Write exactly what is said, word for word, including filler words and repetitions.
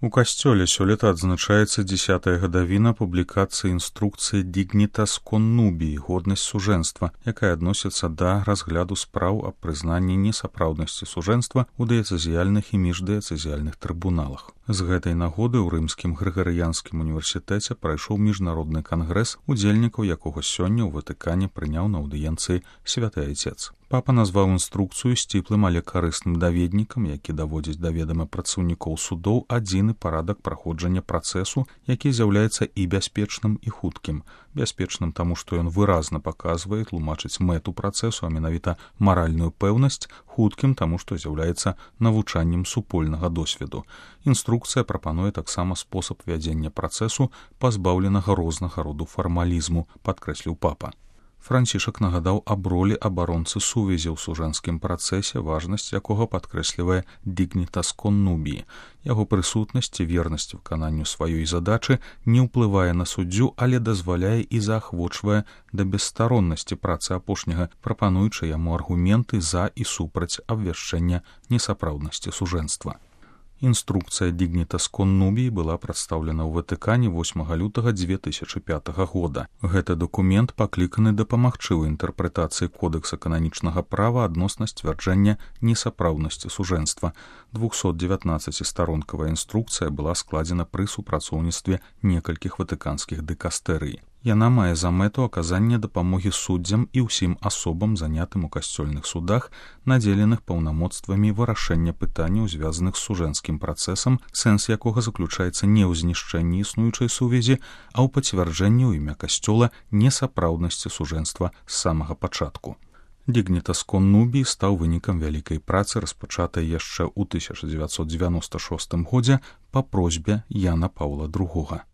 У касцёле сёлета адзначаецца дзесятая гадавіна публікацыі інструкцыі Dignitas Connubii, годнасць сужэнства, якая адносіцца да разгляду спраў аб прызнанні несапраўднасці сужэнства ў дыяцэзіяльных і міждыяцэзіяльных трыбуналах. З гэтай нагоды ў рымскім грыгарыянскім універсітэце прайшоў міжнародны кангрэс, удзельнікаў якога сёння ў Ватыкане прыняў на аўдыенцыі святы айцец. Папа назваў інструкцыю сціплым, але карысным даведнікам, які даводзіць да ведама працаўнікоў судоў адзіны парадак праходжання працэсу, які з'яўляецца і бяспечным, і хуткім. Бяспечным таму, што ён выразна паказвае, тлумачыць мэту працэсу, а менавіта маральную пэўнасць, хуткім таму, што з'яўляецца навучаннем супольнага досведу. Інструкцыя прапануе таксама спосаб вядзення працэсу, пазбаўленага рознага роду фармалізму, падкрэсліў папа. Францішак нагадаў аб ролі абаронцы сувязі ў сужэнскім працэсе, важнасць якога падкрэслівае Dignitas Connubii. Яго прысутнасць і вернасць выкананню сваёй задачы не ўплывае на суддзю, але дазваляе і заахвочвае да бесстароннасці працы апошняга, прапануючы яму аргументы за і супраць абвяшчэння несапраўднасці сужэнства. Інструкцыя Dignitas Connubii была прадстаўлена ў Ватыкане восьмага лютага дзве тысячы пятага года. Гэты дакумент пакліканы дапамагчы ў інтэрпрэтацыі кодэкса кананічнага права адносна сцвярджэння несапраўднасці сужэнства. двухсотдзевятнаццацістаронкавая інструкцыя была складзена пры супрацоўніцтве некалькіх ватыканскіх дыкастэрый. Яна мае за мэту аказання дапамогі суддзям і ўсім асобам, занятым у касцёльных судах, надзеленых паўнамоцтвамі вырашэння пытанняў, звязаных з сужэнскім працэсам, сэнс якога заключаецца не ў знішчэнні існуючай сувязі, а ў пацвярджэнні ў імя касцёла несапраўднасці сужэнства з самага пачатку. Dignitas Connubii стаў вынікам вялікай працы, распачатай яшчэ ў тысяча дзевяцьсот дзевяноста шостым годзе па просьбе Яна Паўла другога.